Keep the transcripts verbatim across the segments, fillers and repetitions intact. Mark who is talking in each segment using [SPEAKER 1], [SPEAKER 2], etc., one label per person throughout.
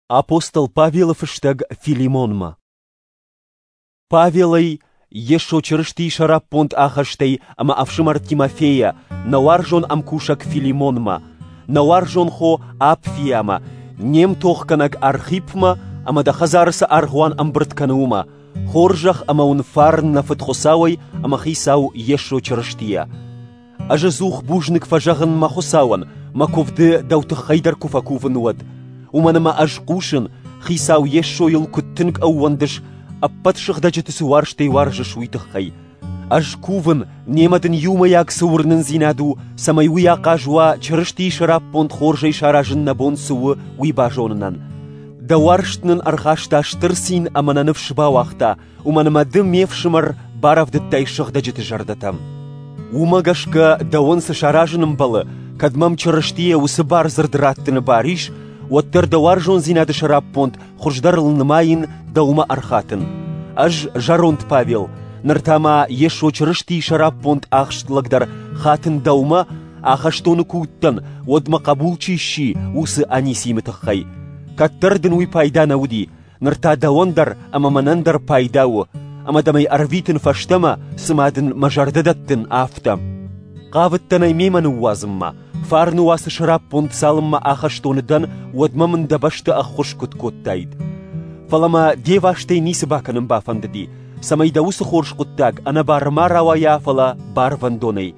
[SPEAKER 1] Апостол Павелы фыстӕг Филимонмӕ. Павелӕй, Йесо Чырыстийы сӕраппонд ахӕстӕй ӕмӕ ӕфсымӕр Тимофейӕ, нӕ уарзон ӕмкусӕг Филимонмӕ, нӕ уарзон хо Апфиамӕ, не мтохгӕнӕг Архипмӕ ӕмӕ дӕ хӕдзары цы аргъуан ӕмбырд кӕны, уымӕ, хорзӕх ӕмӕ уын фарн нӕ Фыд Хуыцауӕй ӕмӕ Хицау Йесо Чырыстийӕ. Ӕз ӕдзух бузныг фӕзӕгъын мӕ Хуыцауӕн, мӕ куывды дӕу тыххӕй дӕр куы фӕкувын, уӕд. Уымӕн ӕмӕ ӕз хъусын, Хицау Йесойыл куыд тынг ӕууӕндыс, ӕппӕт сыгъдӕджыты цы уарзтӕй уарзыс, уый тыххӕй. Ӕз кувын, немӕ дын иумӕйаг цы уырнындзинад у, цӕмӕй уый ахъаз уа Чырыстийы сӕраппонд хорзӕй саразын нӕ бон цы у, уый базонынӕн. Дӕ уарзт нын ӕрхаста стыр цин ӕмӕ нӕ ныфс бауагъта, уымӕн ӕмӕ ды, ме фсымӕр, барӕвдыдтай сыгъдӕджыты зӕрдӕтӕм. Уымӕ гӕсгӕ дӕуӕн цы саразын ӕмбӕлы, кӕд мӕм Чырыстийӕ уыцы бардзырд раттыны бар ис, уӕддӕр дӕ уарзондзинады сӕраппонд хуыздӕрыл нымайын дӕумӕ ӕрхатын. Ӕз, зӕронд Павел, ныр та ма Йесо Чырыстийы сӕраппонд ахст лӕг дӕр хатын дӕумӕ, ахӕстоны куы уыдтӕн, уӕд мӕ хъӕбул чи сси, уыцы Анисимы тыххӕй. Кӕддӕр дын уый пайда нӕ уыди, ныр та дӕуӕн дӕр ӕмӕ мӕнӕн дӕр пайда у, ӕмӕ дӕм ӕй ӕрвитын фӕстӕмӕ, цыма дын мӕ зӕрдӕ дӕттын, афтӕ. Хъавыдтӕн ӕй мемӕ ныууадзынмӕ, фарны уацы сӕраппонд цалынмӕ ахӕстоны дӕн, уӕдмӕ мын дӕ бӕсты ӕххуыс куыд кодтаид. Фӕлӕ мӕ де вастӕй ницы бакӕнын бафӕндыди, цӕмӕй дӕ уыцы хорз хъуыддаг ӕнӕбары ма рауайа, фӕлӕ барвӕндонӕй.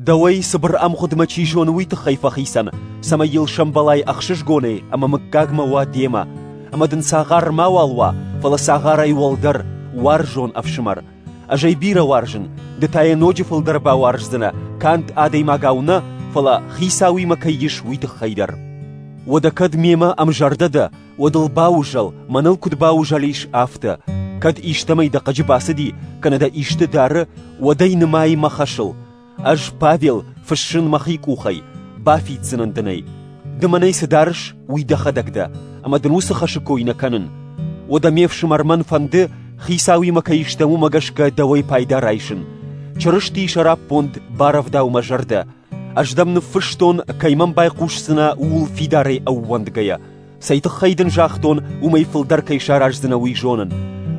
[SPEAKER 1] Дӕуӕй цыбыр ӕмгъуыдмӕ чи зоны, уый тыххӕй фӕхицӕн, цӕмӕй йыл сӕмбӕлай ӕхсызгонӕй ӕмӕ мыггагмӕ уа демӕ, ӕмӕ дын цагъар мауал уа, фӕлӕ цагъарӕй уӕлдӕр, уарзон ӕфсымӕр. Ӕз ӕй бирӕ уарзын, ды та йӕ ноджы фылдӕр бауарздзынӕ, канд адӕймагау нӕ, фӕлӕ хицауимӕ кӕй ис, уый тыххӕй дӕр. Уӕдӕ кӕд мемӕ ӕмзӕрдӕ дӕ, уӕд ыл баузӕл, мӕныл куыд баузӕлис, афтӕ. Кӕд истӕмӕй дӕ хъыджы бацыди, кӕнӕ дӕ исты дары, уӕд ӕй нымай мӕ хӕсыл. Ӕз, Павел, фыссын мӕхи къухӕй, бафиддзынӕн дын ӕй. Ды мӕнӕй цы дарыс, уый дӕхӕдӕг дӕ, ӕмӕ дын уыцы хӕсы кой нӕ кӕнын. Уӕдӕ ме фсымӕр мӕн фӕнды, хицауимӕ кӕй стӕм, уымӕ гӕсгӕ дӕуӕй пайда райсын. Чырыстийы сӕраппонд барӕвдау мӕ зӕрдӕ. Ӕз дӕм ныффыстон, кӕй мӕм байхъусдзынӕ, ууыл фидарӕй ӕууӕндгӕйӕ. Цӕй тыххӕй дын загътон, уымӕй фылдӕр кӕй сараздзынӕ, уый зонын.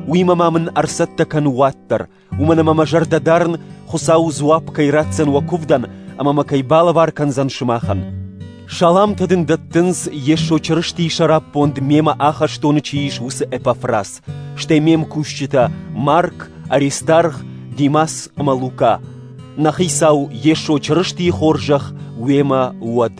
[SPEAKER 1] Уыимӕ ма мын ӕрцӕттӕ кӕн уат дӕр, уымӕн ӕмӕ мӕ зӕрдӕ дарын, Хуыцау дзуапп кӕй ратдзӕн уӕ куывдӕн ӕмӕ мӕ кӕй балӕвар кӕндзӕн сымахӕн. Саламтӕ дын дӕттынц Йесо Чырыстийы сӕраппонд мемӕ ахӕстоны чи ис, уыцы Эпафрас, стӕй ме мкусджытӕ Марк, Аристарх, Димас ӕмӕ Лука. Нӕ Хицау Йесо Чырыстийы хорзӕх уемӕ уӕд.